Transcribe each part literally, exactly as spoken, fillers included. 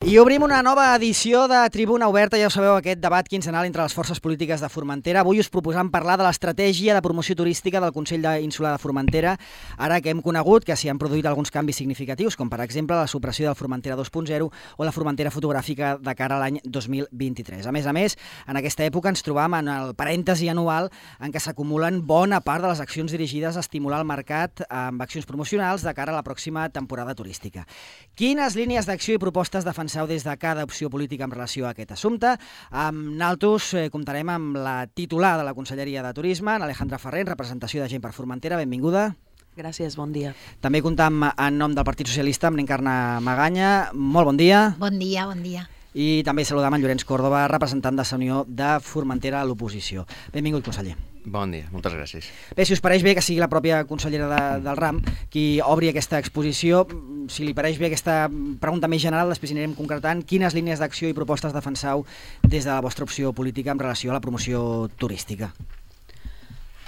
I obrim una nova edició de Tribuna Oberta, ja ho sabeu, aquest debat quinzenal entre les forces polítiques de Formentera. Avui us proposam parlar de l'estratègia de promoció turística del Consell Insular de Formentera, ara que hem conegut que s'hi han produït alguns canvis significatius, com per exemple la supressió del Formentera dos punt zero o la Formentera fotogràfica de cara a l'any dos mil vint-i-tres. A més a més, en aquesta època ens trobam en el parèntesi anual en què s'acumulen bona part de les accions dirigides a estimular el mercat amb accions promocionals de cara a la pròxima temporada turística. Quines línies d'acció i propostes defenseu des de cada opció política en relació a aquest assumpte? Amb naltros eh, comptarem amb la titular de la Conselleria de Turisme, Alejandra Ferrer, en representació de Gent per Formentera. Benvinguda. Gràcies, bon dia. També comptam en nom del Partit Socialista amb l'Encarna Maganya. Molt bon dia. Bon dia, bon dia. I també saludam en Llorenç Córdoba, representant de la Unió de Formentera a l'oposició. Benvingut, conseller. Bon dia, moltes gràcies. Bé, si us pareix bé que sigui la pròpia consellera de, del RAM qui obri aquesta exposició, si li pareix bé aquesta pregunta més general, després anirem concretant quines línies d'acció i propostes defenseu des de la vostra opció política en relació a la promoció turística.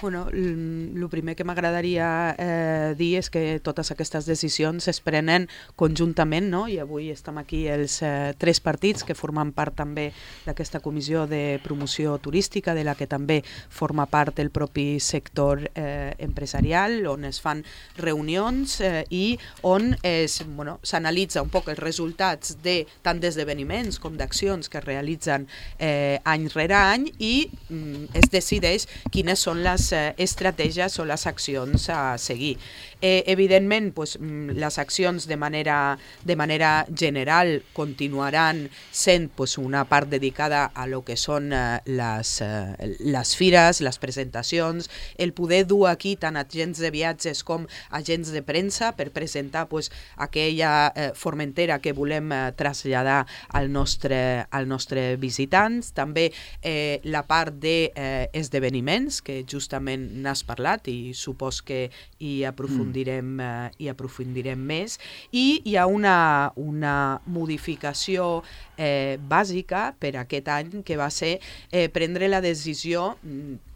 Bueno, el primer que m'agradaria eh, dir és que totes aquestes decisions es prenen conjuntament, no? I avui estem aquí els eh, tres partits que formen part també d'aquesta comissió de promoció turística, de la que també forma part el propi sector eh, empresarial, on es fan reunions eh, i on bueno, s'analitza un poc els resultats de tant d'esdeveniments com d'accions que es realitzen eh, any rere any i mm, es decideix quines són les estratègies o les accions a seguir. Eh, evidentment, pues, les accions de manera, de manera general continuaran sent pues, una part dedicada a lo que són eh, les, eh, les fires, les presentacions, el poder dur aquí tant agents de viatges com agents de premsa per presentar pues, aquella eh, Formentera que volem eh, traslladar al nostre, al nostre visitants. També eh, la part d'esdeveniments, eh, que justament n'has parlat i supos que hi aprofundirem, mm. eh, hi aprofundirem més, i hi ha una, una modificació eh, bàsica per aquest any que va ser eh, prendre la decisió mm,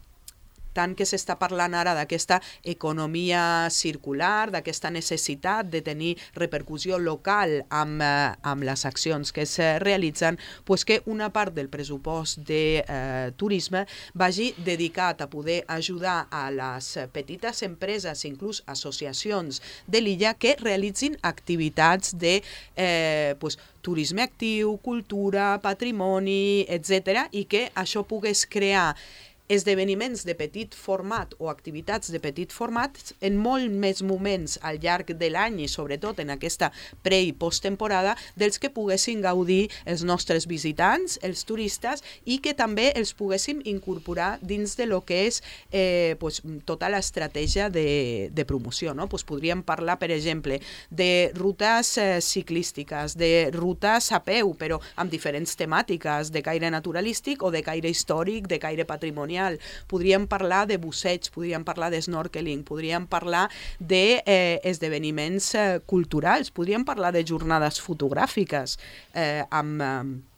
tant que s'està parlant ara d'aquesta economia circular, d'aquesta necessitat de tenir repercussió local amb, eh, amb les accions que es realitzen, pues que una part del pressupost de eh, turisme vagi dedicat a poder ajudar a les petites empreses, inclús associacions de l'illa, que realitzin activitats de eh, pues, turisme actiu, cultura, patrimoni, etcètera, i que això pogués crear esdeveniments de petit format o activitats de petit format en molt més moments al llarg de l'any i sobretot en aquesta pre- i posttemporada dels que poguessin gaudir els nostres visitants, els turistes, i que també els poguéssim incorporar dins de lo que és eh, pues, tota l'estratègia de, de promoció. No? Pues podríem parlar, per exemple, de rutes eh, ciclístiques, de rutes a peu, però amb diferents temàtiques, de caire naturalístic o de caire històric, de caire patrimonial. Podríem parlar de busseig, podríem parlar de snorkeling, podríem parlar d'esdeveniments eh, eh, culturals, podríem parlar de jornades fotogràfiques eh, amb... Eh,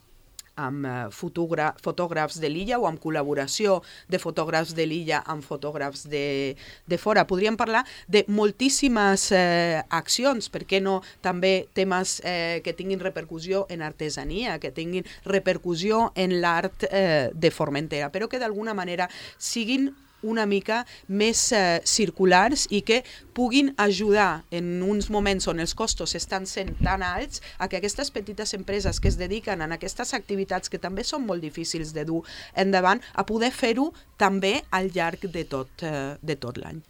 amb fotògraf, fotògrafs de l'illa o amb col·laboració de fotògrafs de l'illa amb fotògrafs de, de fora. Podríem parlar de moltíssimes eh, accions, per què no també temes eh, que tinguin repercussió en artesania, que tinguin repercussió en l'art eh, de Formentera, però que d'alguna manera siguin una mica més eh, circulars i que puguin ajudar en uns moments on els costos estan sent tan alts a que aquestes petites empreses que es dediquen a aquestes activitats que també són molt difícils de dur endavant, a poder fer-ho també al llarg de tot, eh, de tot l'any.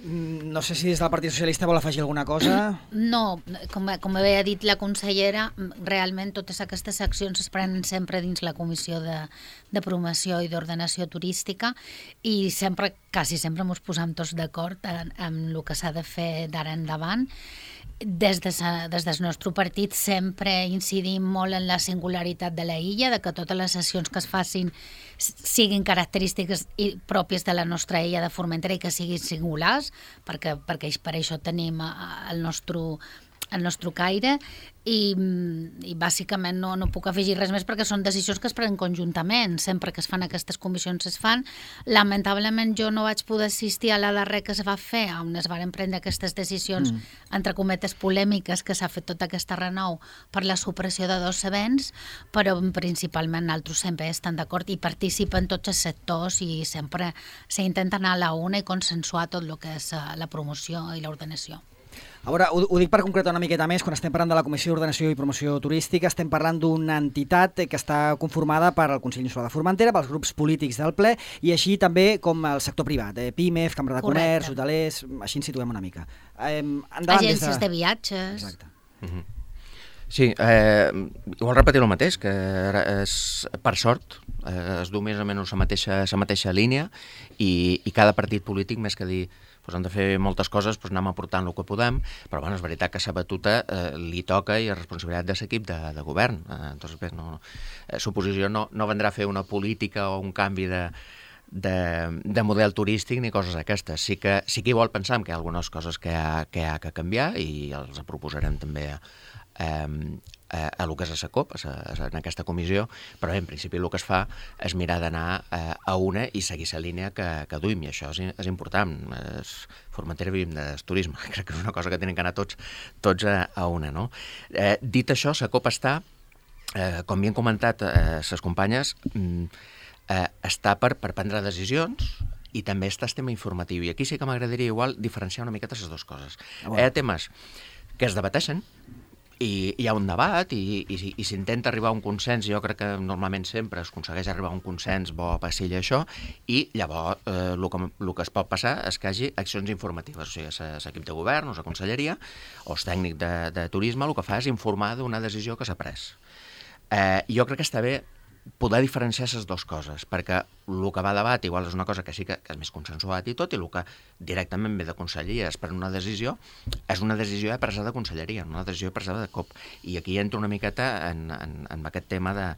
No sé si des del Partit Socialista vol afegir alguna cosa. No, com, com havia dit la consellera, realment totes aquestes accions es prenen sempre dins la Comissió de, de Promoció i d'Ordenació Turística i sempre, quasi sempre ens posam tots d'acord en, en el que s'ha de fer d'ara endavant. Des, de, des del nostre partit sempre incidim molt en la singularitat de la illa, de que totes les sessions que es facin siguin característiques pròpies de la nostra illa de Formentera i que siguin singulars, perquè, perquè per això tenim el nostre el nostre caire i, i bàsicament no, no puc afegir res més perquè són decisions que es prenen conjuntament, sempre que es fan aquestes comissions es fan. Lamentablement jo no vaig poder assistir a la darrera que es va fer on es van prendre aquestes decisions mm. entre cometes polèmiques que s'ha fet tota aquesta renou per la supressió de dos events, però principalment nosaltres sempre estan d'acord i participen tots els sectors i sempre s'intenta anar a la una i consensuar tot el que és la promoció i l'ordenació. A veure, ho, ho dic per concretar una miqueta més, quan estem parlant de la Comissió d'Ordenació i Promoció Turística, estem parlant d'una entitat que està conformada per el Consell Insular de Formentera, pels grups polítics del ple, i així també com el sector privat, eh, PIMEF, Cambra de Comerç, hotelers, així ens situem una mica. Eh, Agències de... de viatges... Exacte. Mm-hmm. Sí, eh, igual repetir el mateix, que és, per sort eh, es du més o menys la mateixa, la mateixa línia i, i cada partit polític, més que dir pues hem de fer moltes coses, pues anem aportant el que podem, però bueno, és veritat que la batuta eh, li toca i és responsabilitat de l'equip de, de govern. Eh, entonces, bé, no, eh, suposició no, no vendrà a fer una política o un canvi de, de, de model turístic ni coses aquestes. Sí que, sí que igual pensam que hi ha algunes coses que hi ha que, hi ha que canviar i els proposarem també a, a, a lo que és a la COP, a, a, en aquesta comissió, però bé, en principi el que es fa és mirar d'anar a, a una i seguir la línia que, que duim, i això és, és important. Es, Formentera vivim del turisme, crec que és una cosa que tenen que anar tots, tots a, a una, no? Eh, dit això, la COP està, eh, com havien comentat eh, les companyes, eh, està per, per prendre decisions i també està el tema informatiu, i aquí sí que m'agradaria igual diferenciar una miqueta les dues coses. Ah, bueno. Hi ha temes que es debateixen, i hi ha un debat i, i, i s'intenta arribar a un consens, i jo crec que normalment sempre es aconsegueix arribar a un consens bo a passil això, i llavors eh, el, que, el que es pot passar és que hi hagi accions informatives, o sigui, l'equip de govern o la conselleria o el tècnic de, de turisme el que fa és informar d'una decisió que s'ha pres. Eh, jo crec que està bé poder diferenciar les dues coses, perquè el que va a debat igual és una cosa que sí que, que és més consensuat i tot, i el que directament ve de conselleria és per una decisió, és una decisió presa de conselleria, una decisió presa de COP. I aquí entro una miqueta en, en, en aquest tema de,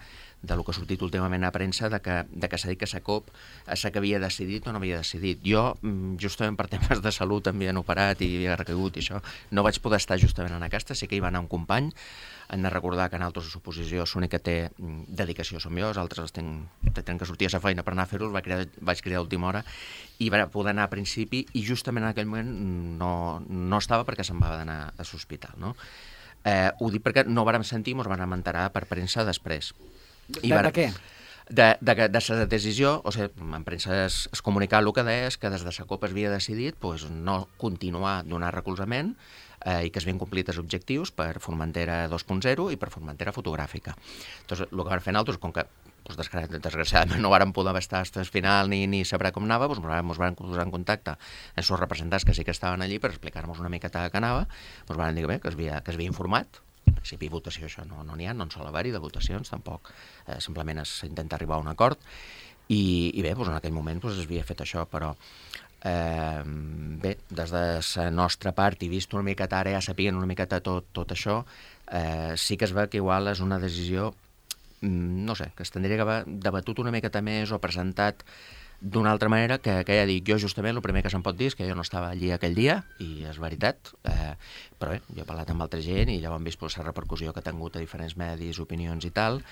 de lo que ha sortit últimament a premsa, de que, de que s'ha dit que la COP és la que havia decidit o no havia decidit. Jo, justament per temes de salut, em havien operat i havia recaigut i això, no vaig poder estar justament en aquesta, sí que hi va anar un company. Hem de recordar que en altres suposició l'únic que té dedicació som jo, els altres els tenen que sortir a la feina per anar a fer-ho, vaig cridar, vaig cridar a última hora i va poder anar a principi, i justament en aquell moment no, no estava perquè se'n va d'anar a l'hospital, no? Eh, ho dic perquè no vàrem sentir, ens vàrem enterar per premsa després. I de, de què? De, de, de la decisió, o sigui, en premsa es, es comunicava el que deia és que des de la COP es havia decidit pues, no continuar donar recolzament eh, i que es havien complit els objectius per Formentera dos punt zero i per Formentera fotogràfica. Entonces, el que vam fer nosaltres, com que pues, desgraciadament no vàrem poder estar fins al final ni, ni saber com anava, doncs ens vam posar en contacte amb els representants que sí que estaven allí per explicar-nos una miqueta què anava, ens van dir bé, que es havia, que es havia informat. En principi, votació, això no n'hi ha, no en sol haver-hi de votacions, tampoc. Eh, simplement s'intenta arribar a un acord i, i bé, doncs en aquell moment doncs, es havia fet això, però eh, bé, des de la nostra part, i vist una miqueta ara, ja sapien una miqueta tot, tot això, eh, sí que es veu que igual és una decisió, no sé, que es tindria que haver debatut una miqueta més o presentat d'una altra manera, que, que ja dic, jo justament el primer que se'm pot dir és que jo no estava allí aquell dia, i és veritat, eh, però bé, jo he parlat amb altra gent i ja ho hem vist per la repercussió que ha tingut a diferents medis, opinions i tal.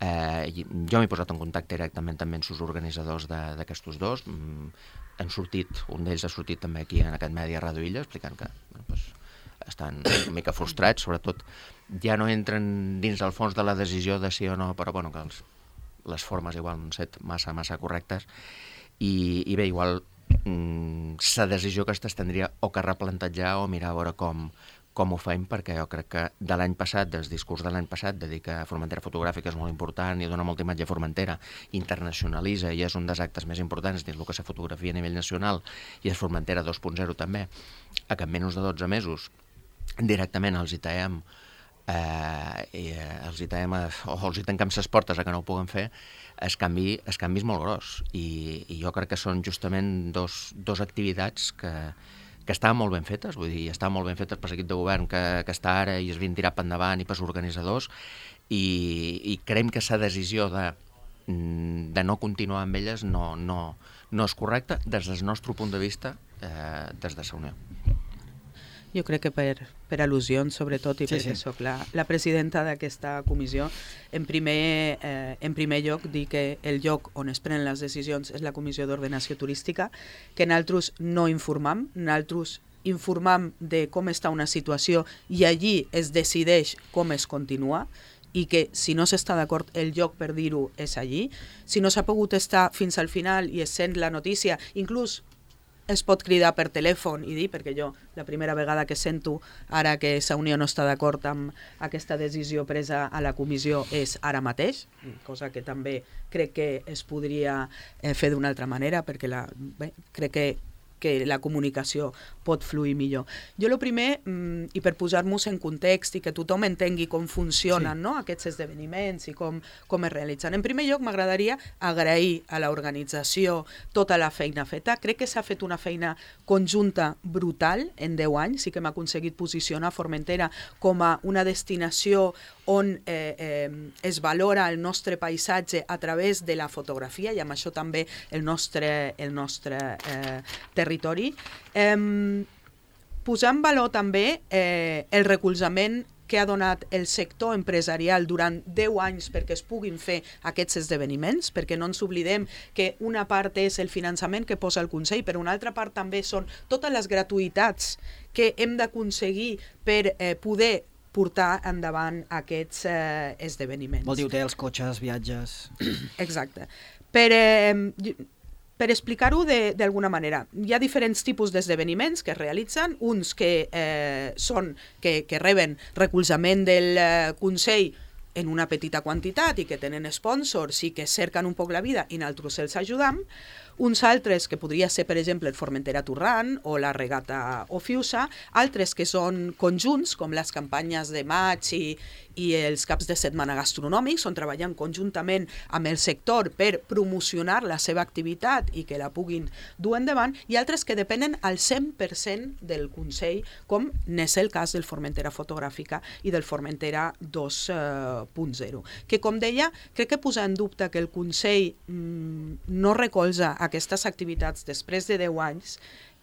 Eh, jo m'he posat en contacte directament també amb els organitzadors d'aquests dos, mm, han sortit, un d'ells ha sortit també aquí en aquest medi a Radio Illa, explicant que bueno, pues, estan una mica frustrats, sobretot ja no entren dins el fons de la decisió de sí o no, però bueno, que els, les formes igual no han set massa, massa correctes. I, i bé, igual mm, la decisió aquesta es tindria o que replantejar o mirar a veure com, com ho fem, perquè jo crec que de l'any passat, del discurs de l'any passat, de dir que Formentera fotogràfica és molt important i dona molta imatge a Formentera, internacionalitza i és un dels actes més importants dins el que és la fotografia a nivell nacional, i és Formentera dos punt zero també, a que en menys de dotze mesos directament els hi taem eh, i, eh, els hi taem a, o els hi tancam les portes a que no ho puguen fer, el canvi, el canvi és molt gros, i, i jo crec que són justament dos, dos activitats que, que estaven molt ben fetes, vull dir, estaven molt ben fetes per l'equip de govern que, que està ara i es havien tirat per endavant, i pels organitzadors, i, i creiem que la decisió de, de no continuar amb elles no, no, no és correcta des del nostre punt de vista, eh, des de la Unió. Jo crec que per, per al·lusions, sobretot, i sí, perquè sí. soc la, la presidenta d'aquesta comissió, en primer, eh, en primer lloc dir que el lloc on es prenen les decisions és la Comissió d'Ordenació Turística, que nosaltres no informam, nosaltres informam de com està una situació i allí es decideix com es continua, i que si no s'està d'acord el lloc per dir-ho és allí. Si no s'ha pogut estar fins al final i es sent la notícia, inclús es pot cridar per telèfon i dir, perquè jo la primera vegada que sento ara que la Unió no està d'acord amb aquesta decisió presa a la comissió és ara mateix, cosa que també crec que es podria eh, fer d'una altra manera, perquè la, bé, crec que que la comunicació pot fluir millor. Jo el primer, mm, i per posar-nos en context i que tothom entengui com funcionen sí. no, aquests esdeveniments i com, com es realitzen. En primer lloc, m'agradaria agrair a l'organització tota la feina feta. Crec que s'ha fet una feina conjunta brutal en deu anys, sí que hem aconseguit posicionar Formentera com a una destinació on eh, eh, es valora el nostre paisatge a través de la fotografia i amb això també el nostre, el nostre eh, territori. Eh, posar en valor també eh, el recolzament que ha donat el sector empresarial durant deu anys perquè es puguin fer aquests esdeveniments, perquè no ens oblidem que una part és el finançament que posa el Consell, però una altra part també són totes les gratuïtats que hem d'aconseguir per eh, poder portar endavant aquests eh, esdeveniments. Vol dir hotels, cotxes, viatges... Exacte. Per, eh, per explicar-ho d'alguna manera, hi ha diferents tipus d'esdeveniments que es realitzen, uns que, eh, són, que, que reben recolzament del eh, Consell en una petita quantitat i que tenen sponsors i que cerquen un poc la vida i nosaltres els ajudam, uns altres que podria ser, per exemple, el Formentera Torrant o la Regata Ofiusa, altres que són conjunts, com les campanyes de maig i, i els caps de setmana gastronòmics, on treballen conjuntament amb el sector per promocionar la seva activitat i que la puguin dur endavant, i altres que depenen al cent per cent del Consell, com n'és el cas del Formentera Fotogràfica i del Formentera dos punt zero. Que, com deia, crec que posar en dubte que el Consell mmm, no recolza aquestes activitats després de deu anys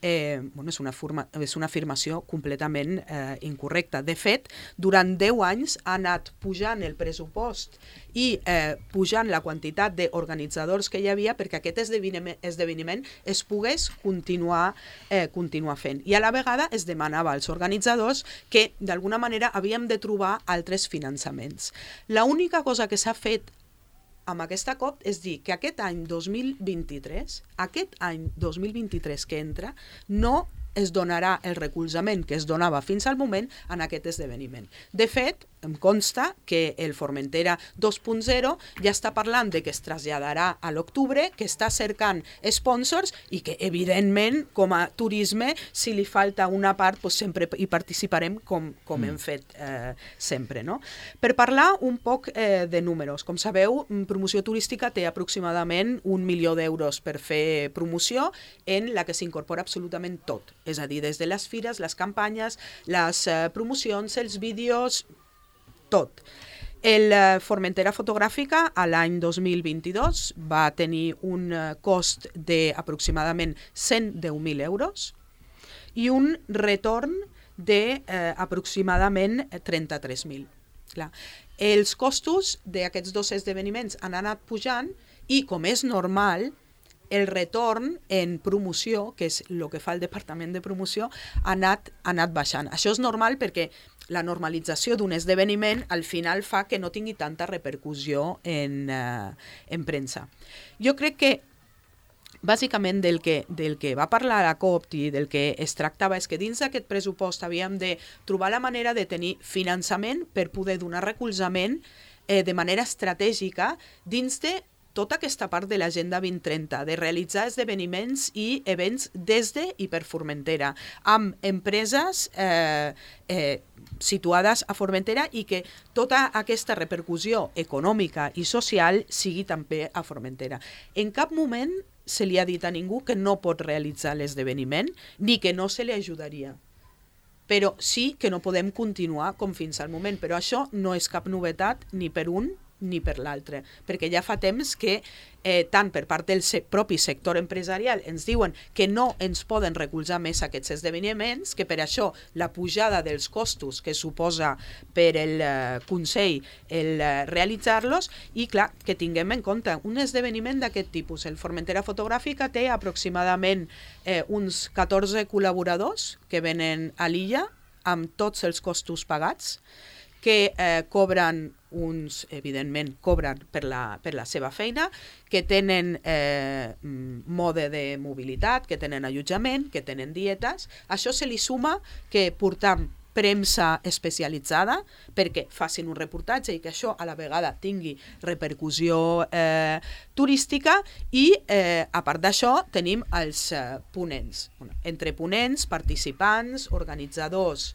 eh, bueno, és, una forma, és una afirmació completament eh, incorrecta. De fet, durant deu anys ha anat pujant el pressupost i eh, pujant la quantitat d'organitzadors que hi havia perquè aquest esdeveniment, esdeveniment es pogués continuar, eh, continuar fent. I a la vegada es demanava als organitzadors que d'alguna manera havíem de trobar altres finançaments. L'única cosa que s'ha fet amb aquesta cop és dir que aquest any dos mil vint-i-tres, aquest any dos mil vint-i-tres que entra, no es donarà el recolzament que es donava fins al moment en aquest esdeveniment. De fet, em consta que el Formentera dos punt zero ja està parlant de que es traslladarà a l'octubre, que està cercant sponsors i que, evidentment, com a turisme, si li falta una part, doncs sempre hi participarem com, com mm. hem fet eh, sempre. No? Per parlar un poc eh, de números, com sabeu, Promoció Turística té aproximadament un milió d'euros per fer promoció en la que s'incorpora absolutament tot. És a dir, des de les fires, les campanyes, les eh, promocions, els vídeos, tot. El eh, Formentera Fotogràfica a l'any dos mil vint-i-dos va tenir un eh, cost d'aproximadament cent deu mil euros i un retorn d'aproximadament eh, trenta-tres mil. Clar. Els costos d'aquests dos esdeveniments han anat pujant i, com és normal, el retorn en promoció, que és el que fa el Departament de Promoció, ha anat, ha anat baixant. Això és normal perquè la normalització d'un esdeveniment al final fa que no tingui tanta repercussió en, eh, en premsa. Jo crec que bàsicament del que, del que va parlar la COP i del que es tractava és que dins d'aquest pressupost havíem de trobar la manera de tenir finançament per poder donar recolzament eh, de manera estratègica dins de tota aquesta part de l'Agenda vint trenta, de realitzar esdeveniments i events des de i per Formentera, amb empreses eh, eh, situades a Formentera i que tota aquesta repercussió econòmica i social sigui també a Formentera. En cap moment se li ha dit a ningú que no pot realitzar l'esdeveniment ni que no se li ajudaria. Però sí que no podem continuar com fins al moment. Però això no és cap novetat ni per un ni per l'altre, perquè ja fa temps que eh, tant per part del se propi sector empresarial ens diuen que no ens poden recolzar més aquests esdeveniments, que per això la pujada dels costos que suposa per el eh, Consell el eh, realitzar-los, i clar, que tinguem en compte un esdeveniment d'aquest tipus. El Formentera Fotogràfica té aproximadament eh, uns catorze col·laboradors que venen a l'illa amb tots els costos pagats, que eh, cobren uns, evidentment, cobren per la, per la seva feina, que tenen eh, mode de mobilitat, que tenen allotjament, que tenen dietes. Això se li suma que portam premsa especialitzada perquè facin un reportatge i que això a la vegada tingui repercussió eh, turística, i eh, a part d'això tenim els eh, ponents. Bueno, entre ponents, participants, organitzadors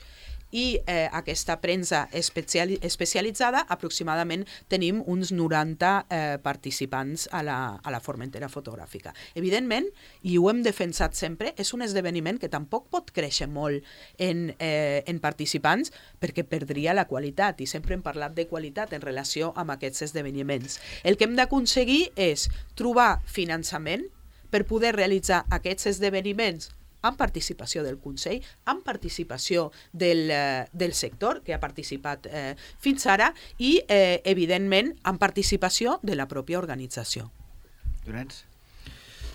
i eh, aquesta premsa especiali especialitzada, aproximadament tenim uns noranta eh, participants a la, a la Formentera Fotogràfica. Evidentment, i ho hem defensat sempre, és un esdeveniment que tampoc pot créixer molt en, eh, en participants perquè perdria la qualitat, i sempre hem parlat de qualitat en relació amb aquests esdeveniments. El que hem d'aconseguir és trobar finançament per poder realitzar aquests esdeveniments amb participació del Consell, amb participació del, eh, del sector que ha participat eh, fins ara, i, eh, evidentment, amb participació de la pròpia organització. Llorenç?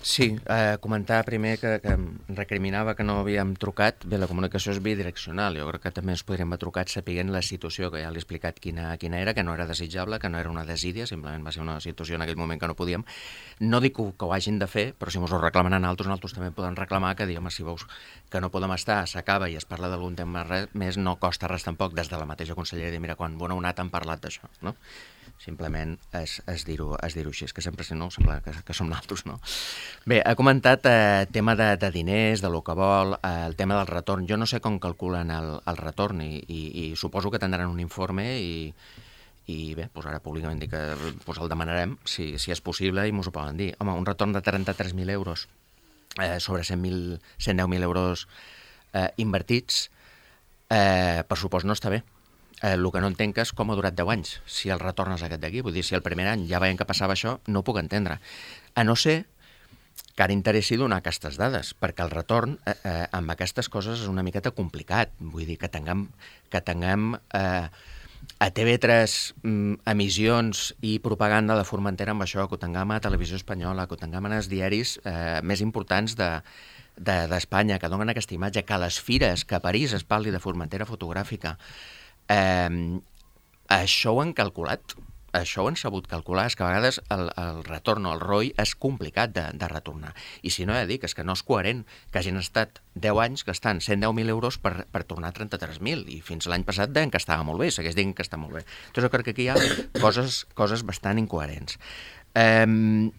Sí, eh, comentar primer que, que em recriminava que no havíem trucat. Bé, la comunicació és bidireccional. Jo crec que també ens podríem haver trucat sapiguent la situació, que ja l'he explicat quina, quina era, que no era desitjable, que no era una desídia, simplement va ser una situació en aquell moment que no podíem. No dic que, que ho hagin de fer, però si mos ho reclamen a altres, nosaltres també podem reclamar que, diguem, si veus que no podem estar, s'acaba i es parla d'algun tema res, més, no costa res tampoc des de la mateixa conselleria dir, mira, quan bona onat han parlat d'això, no? Simplement és, és dir-ho és dir així, és que sempre si no sembla que, que som naltros, no? Bé, ha comentat eh, tema de, de diners, de lo que vol, eh, el tema del retorn. Jo no sé com calculen el, el retorn i, i, i suposo que tindran un informe i, i bé, doncs ara públicament dic que doncs el demanarem si, si és possible i mos ho poden dir. Home, un retorn de trenta-tres mil euros eh, sobre cent deu mil euros eh, invertits, eh, per supost no està bé. Eh, el que no entenc és com ha durat deu anys, si el retorn és aquest d'aquí. Vull dir, si el primer any ja veiem que passava això, no ho puc entendre. A no ser que ara interessi donar aquestes dades, perquè el retorn eh, eh, amb aquestes coses és una miqueta complicat. Vull dir, que tinguem, que tinguem eh, a T V tres mm, emissions i propaganda de Formentera amb això, que ho tinguem a Televisió Espanyola, que ho tinguem en els diaris eh, més importants de d'Espanya, de, que donen aquesta imatge, que a les fires, que a París es parli de Formentera Fotogràfica. Eh, això ho han calculat, això ho han sabut calcular, és que a vegades el, el retorn o el R O I és complicat de, de retornar. I si no, ja dic, és que no és coherent que hagin estat deu anys gastant cent deu mil euros per, per tornar trenta-tres mil, i fins l'any passat deien que estava molt bé, segueix dient que està molt bé. Doncs jo crec que aquí hi ha coses, coses bastant incoherents. Eh,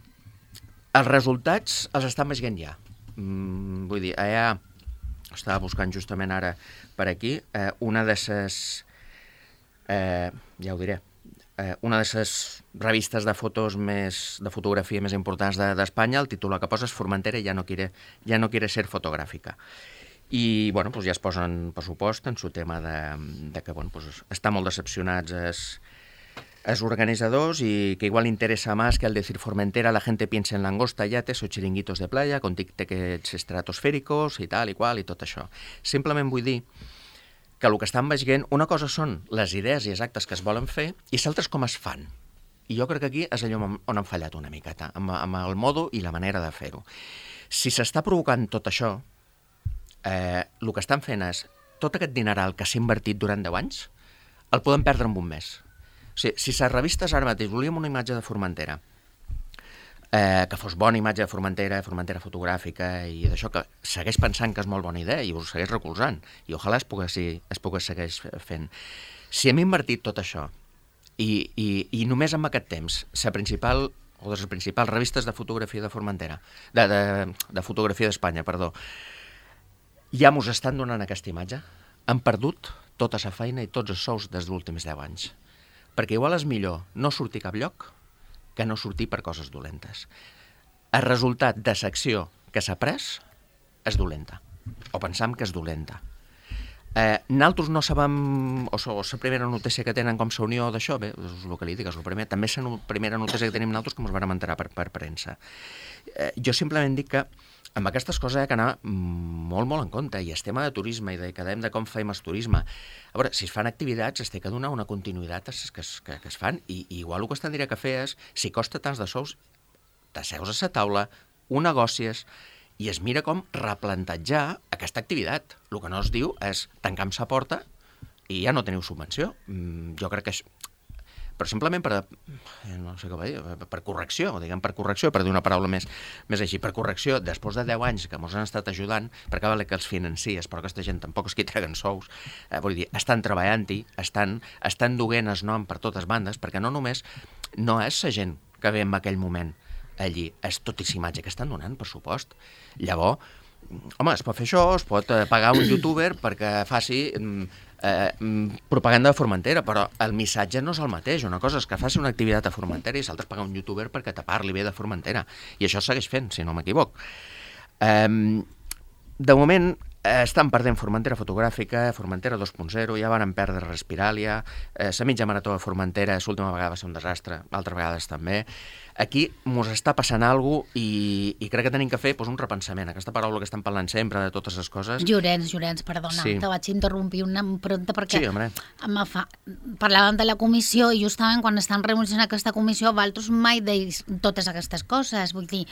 els resultats els estan veient ja. Mm, vull dir, allà estava buscant justament ara per aquí, eh, una de ses... Eh, ja ho diré, eh, una de les revistes de fotos més, de fotografia més importants d'Espanya, el títol que posa és Formentera ja no quiere, ja no quiere ser fotogràfica. I bueno, pues ja es posen, per supost, en su tema de, de que bueno, pues estan molt decepcionats els, els organizadors y que igual interesa más que al decir Formentera la gente piensa en langosta, yates o chiringuitos de playa con tiquets estratosfèricos i tal i qual i tot això. Simplement vull dir que el que estan veient, una cosa són les idees i els actes que es volen fer i l'altra és com es fan. I jo crec que aquí és allò on han fallat una miqueta, amb, amb el modo i la manera de fer-ho. Si s'està provocant tot això, eh, el que estan fent és tot aquest dineral que s'ha invertit durant deu anys, el podem perdre en un mes. O sigui, si les revistes ara mateix volíem una imatge de Formentera, eh, que fos bona imatge de Formentera, Formentera fotogràfica i d'això, que segueix pensant que és molt bona idea i us segueix recolzant, i ojalà es pogués, es pogués segueix fent. Si hem invertit tot això i, i, i només en aquest temps la principal, o de les principals revistes de fotografia de Formentera, de, de, de fotografia d'Espanya, perdó, ja mos estan donant aquesta imatge, han perdut tota la feina i tots els sous des dels últims deu anys. Perquè igual és millor no sortir a cap lloc que no sortir per coses dolentes. El resultat de l'acció que s'ha pres és dolenta, o pensam que és dolenta. Eh, nosaltres no sabem, o la primera notícia que tenen com la unió d'això, bé, és el que li dic, és el primer, també és la primera notícia que tenim nosaltres que ens vam enterar per, per premsa. Eh, jo simplement dic que amb aquestes coses hi ha que anar molt, molt en compte, i el tema de turisme i de quedem de com fem el turisme. A veure, si es fan activitats, es té que donar una continuïtat a les que, que, que es fan, i, i igual el que es tindria que fer és, si costa tants de sous, t'asseus a la taula, ho negocies, i es mira com replantejar aquesta activitat. El que no es diu és tancar amb sa porta i ja no teniu subvenció. Mm, jo crec que això... Però simplement per, no sé què va dir, per correcció, diguem per correcció, per dir una paraula més, més així, per correcció, després de deu anys que ens han estat ajudant, perquè vale que els financies, però aquesta gent tampoc és qui treguen sous, eh, vull dir, estan treballant-hi, estan, estan duent el nom per totes bandes, perquè no només no és la gent que ve en aquell moment allí, és totíssima imatge que estan donant, per supost. Llavors, home, es pot fer això, es pot pagar un youtuber perquè faci eh, propaganda de Formentera, però el missatge no és el mateix. Una cosa és que faci una activitat a Formentera i l'altra pagar un youtuber perquè te parli bé de Formentera. I això segueix fent, si no m'equivoc. Eh, de moment, estan perdent Formentera fotogràfica, Formentera dos punt zero, ja van perdre Respiràlia, eh, la mitja marató de Formentera l'última vegada va ser un desastre, altres vegades també. Aquí ens està passant alguna cosa i, i crec que tenim que fer doncs, un repensament. Aquesta paraula que estem parlant sempre de totes les coses... Llorenç, Llorenç, perdona, sí. Te vaig interrompir una pronta perquè sí, home. Fa... parlàvem de la comissió i justament quan estan reunint aquesta comissió vosaltres mai deis totes aquestes coses. Vull dir,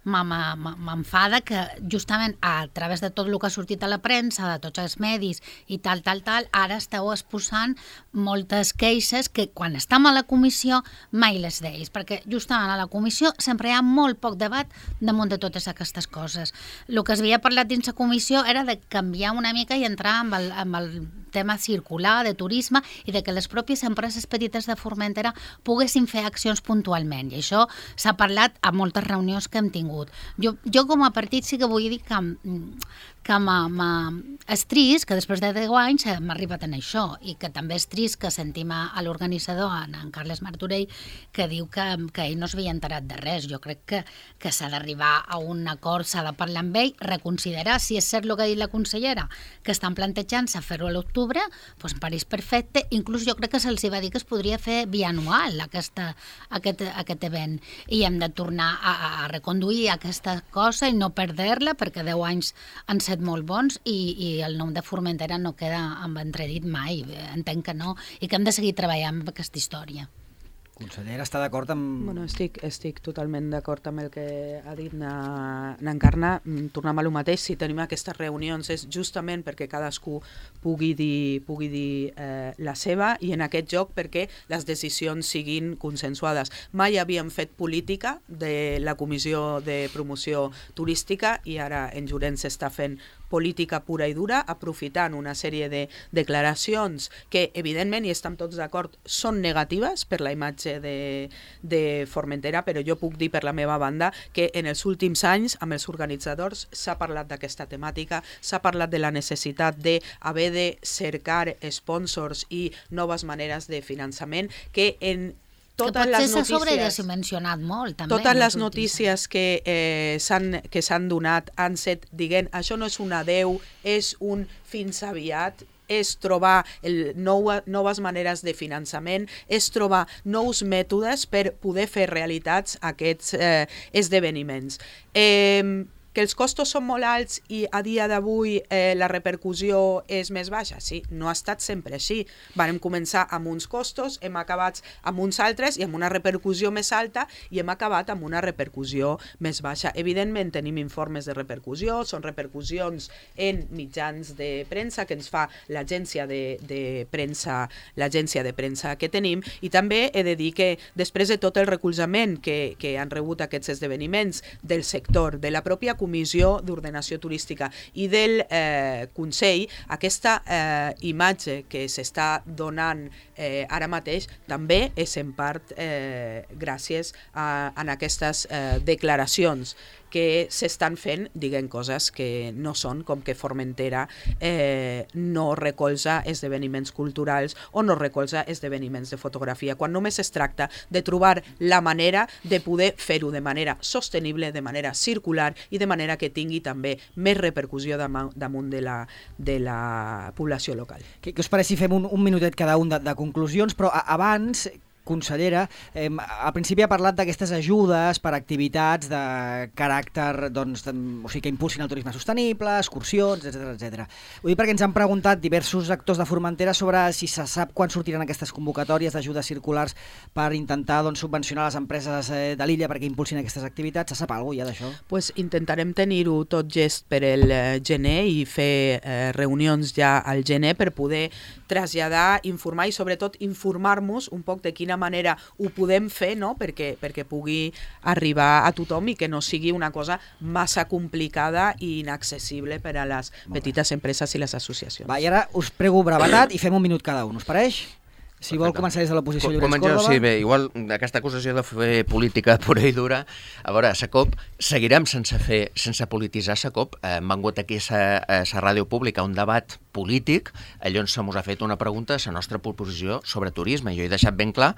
m'enfada que justament a través de tot el que ha sortit a la premsa, de tots els medis i tal, tal, tal, ara esteu exposant moltes queixes que quan estem a la comissió mai les deis, perquè justament a la comissió sempre hi ha molt poc debat damunt de totes aquestes coses. El que es havia parlat dins la comissió era de canviar una mica i entrar amb el, amb el tema circular, de turisme, i de que les pròpies empreses petites de Formentera poguessin fer accions puntualment, i això s'ha parlat a moltes reunions que hem tingut. Jo, jo com a partit sí que vull dir que, que és trist que després de deu anys hem arribat en això, i que també és trist que sentim a, a l'organitzador, en Carles Martorell, que diu que, que ell no s'havia enterat de res. Jo crec que, que s'ha d'arribar a un acord, s'ha de parlar amb ell, reconsiderar si és cert el que ha dit la consellera, que estan plantejant-se fer-ho a l'octubre, doncs em pareix perfecte. Inclús jo crec que se'ls va dir que es podria fer bianual aquesta, aquest, aquest event, i hem de tornar a, a reconduir aquesta cosa i no perdre-la, perquè deu anys han set molt bons i, i el nom de Formentera no queda en entredit mai. Entenc que no, i que hem de seguir treballant amb aquesta història. Consellera, està d'acord amb... Bueno, estic, estic totalment d'acord amb el que ha dit n'Encarna. Tornem a lo mateix, si tenim aquestes reunions és justament perquè cadascú pugui dir, pugui dir eh, la seva, i en aquest joc perquè les decisions siguin consensuades. Mai havíem fet política de la Comissió de Promoció Turística i ara en Llorenç s'està fent política pura i dura, aprofitant una sèrie de declaracions que, evidentment, i estem tots d'acord, són negatives per la imatge de, de Formentera, però jo puc dir per la meva banda que en els últims anys, amb els organitzadors, s'ha parlat d'aquesta temàtica, s'ha parlat de la necessitat d'haver de cercar sponsors i noves maneres de finançament, que en totes les notícies, sobredimensionat molt, també. Totes les notícies que eh, s'han que s'han donat han set dient això no és un adeu, és un fins aviat, és trobar el nou, noves maneres de finançament, és trobar nous mètodes per poder fer realitats aquests eh, esdeveniments. Eh, Que els costos són molt alts i a dia d'avui eh, la repercussió és més baixa? Sí, no ha estat sempre així. Vam començar amb uns costos, hem acabat amb uns altres i amb una repercussió més alta, i hem acabat amb una repercussió més baixa. Evidentment tenim informes de repercussió, són repercussions en mitjans de premsa que ens fa l'agència de, de premsa, l'agència de premsa que tenim, i també he de dir que després de tot el recolzament que, que han rebut aquests esdeveniments del sector, de la pròpia Comissió d'Ordenació Turística i del eh, Consell, aquesta eh, imatge que s'està donant eh, ara mateix també és en part eh, gràcies a, a aquestes eh, declaracions que s'estan fent, diguem coses que no són, com que Formentera eh, no recolza esdeveniments culturals o no recolza esdeveniments de fotografia, quan només es tracta de trobar la manera de poder fer-ho de manera sostenible, de manera circular i de manera que tingui també més repercussió damunt de la, de la població local. Què, què us pareix si fem un, un minutet cada un de, de conclusions, però a, abans... Consellera, eh, al principi ha parlat d'aquestes ajudes per activitats de caràcter, doncs, de, o sigui, que impulsin el turisme sostenible, excursions, etcètera, etcètera. Ho dic perquè ens han preguntat diversos actors de Formentera sobre si se sap quan sortiran aquestes convocatòries d'ajudes circulars per intentar, doncs, subvencionar les empreses eh, de l'illa perquè impulsin aquestes activitats. Se sap alguna cosa ja d'això? Pues intentarem tenir-ho tot gest per el eh, gener i fer eh, reunions ja al gener per poder traslladar, informar i sobretot informar-nos un poc de quina manera ho podem fer, no? perquè, perquè pugui arribar a tothom i que no sigui una cosa massa complicada i inaccessible per a les petites empreses i les associacions. Va, i ara us prego brevetat i fem un minut cada un, us pareix? Si vol començar des de l'oposició, Llorenç Córdoba. Sí, bé, igual aquesta acusació de fer política pura i dura, a veure, a Secop seguirem sense fer, sense polititzar Secop. Eh, hem vengut aquí a la ràdio pública un debat polític, allò on se mos ha fet una pregunta a la nostra proposició sobre turisme. Jo he deixat ben clar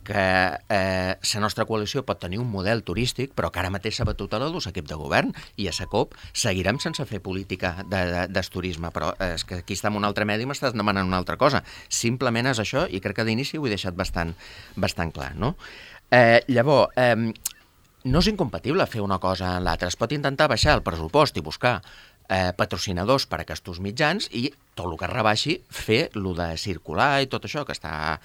que eh, la nostra coalició pot tenir un model turístic, però que ara mateix s'ha batut a l'O2 equip de govern, i a Secop seguirem sense fer política de, de, de turisme, però eh, és que aquí està en un altre medi i m'estàs demanant una altra cosa. Simplement és això, i crec que d'inici ho he deixat bastant, bastant clar, no? Eh, llavors, eh, no és incompatible fer una cosa en l'altra. Es pot intentar baixar el pressupost i buscar eh, patrocinadors per a aquests mitjans i tot el que es rebaixi fer el de circular i tot això, que està...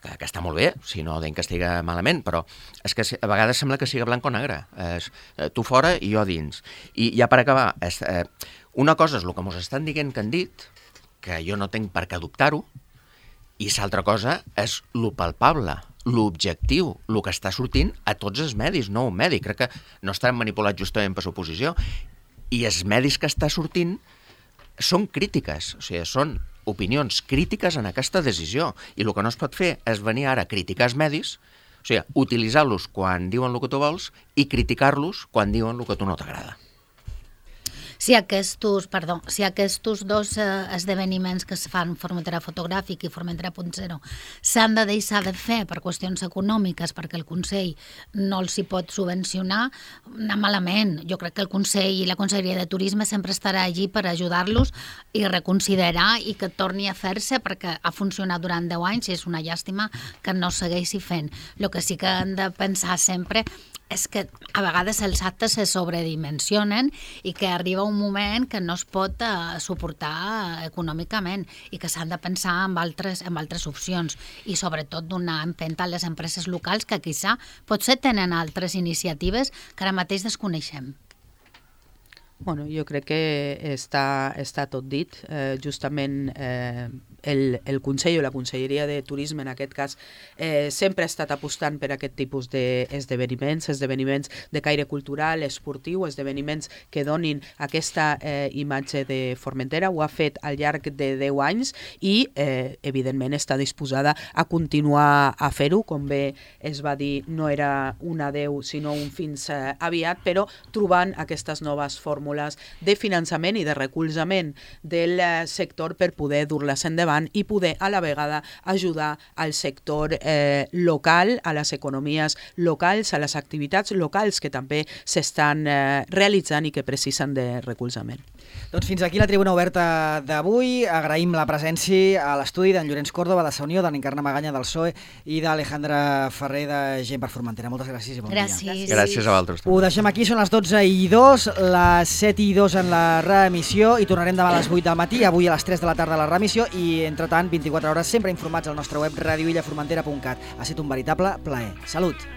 Que, que està molt bé, si no deim que estigui malament, però és que a vegades sembla que sigui blanc o negre. És, eh, tu fora i jo dins. I ja per acabar, és, eh, una cosa és el que ens estan dient que han dit, que jo no tinc per què adoptar-ho, i l'altra cosa és lo palpable, l'objectiu, el que està sortint a tots els medis, no un medi. Crec que no estan manipulats justament per l'oposició. I els medis que està sortint són crítiques, o sigui, són opinions crítiques en aquesta decisió, i el que no es pot fer és venir ara a criticar els medis, o sigui, utilitzar-los quan diuen el que tu vols i criticar-los quan diuen el que a tu no t'agrada. Si aquests, perdó, si aquests dos eh, esdeveniments que es fan, Formentera Fotogràfic i Formentera punt zero, s'han de deixar de fer per qüestions econòmiques perquè el Consell no els hi pot subvencionar, anar malament. Jo crec que el Consell i la Conselleria de Turisme sempre estarà allí per ajudar-los i reconsiderar i que torni a fer-se, perquè ha funcionat durant deu anys i és una llàstima que no segueixi fent. El que sí que han de pensar sempre és que a vegades els actes se sobredimensionen i que arriba un moment que no es pot uh, suportar econòmicament i que s'han de pensar en altres, en altres opcions i sobretot donar empenta a les empreses locals que quizà potser tenen altres iniciatives que ara mateix desconeixem. Bueno, jo crec que està, està tot dit. Eh, justament eh, el, el Consell o la Conselleria de Turisme, en aquest cas, eh, sempre ha estat apostant per aquest tipus d'esdeveniments, esdeveniments de caire cultural, esportiu, esdeveniments que donin aquesta eh, imatge de Formentera. Ho ha fet al llarg de deu anys i, eh, evidentment, està disposada a continuar a fer-ho. Com bé es va dir, no era un adeu, sinó un fins eh, aviat, però trobant aquestes noves fórmules de finançament i de recolzament del sector per poder dur-les endavant i poder a la vegada ajudar al sector eh, local, a les economies locals, a les activitats locals que també s'estan eh, realitzant i que precisen de recolzament. Doncs fins aquí la tribuna oberta d'avui. Agraïm la presència a l'estudi d'en Llorenç Córdoba, de Sa Unió, d'en Encarna Maganya, del P S O E, i d'Alejandra Ferrer, de Gent per Formentera. Moltes gràcies i bon gràcies. dia. Gràcies a vosaltres. Ho deixem aquí, són les dotze i dos, les set i dos en la reemissió, i tornarem demà a les vuit del matí, avui a les tres de la tarda a la reemissió, i entretant, vint-i-quatre hores, sempre informats al nostre web radio illa formentera punt cat. Ha estat un veritable plaer. Salut!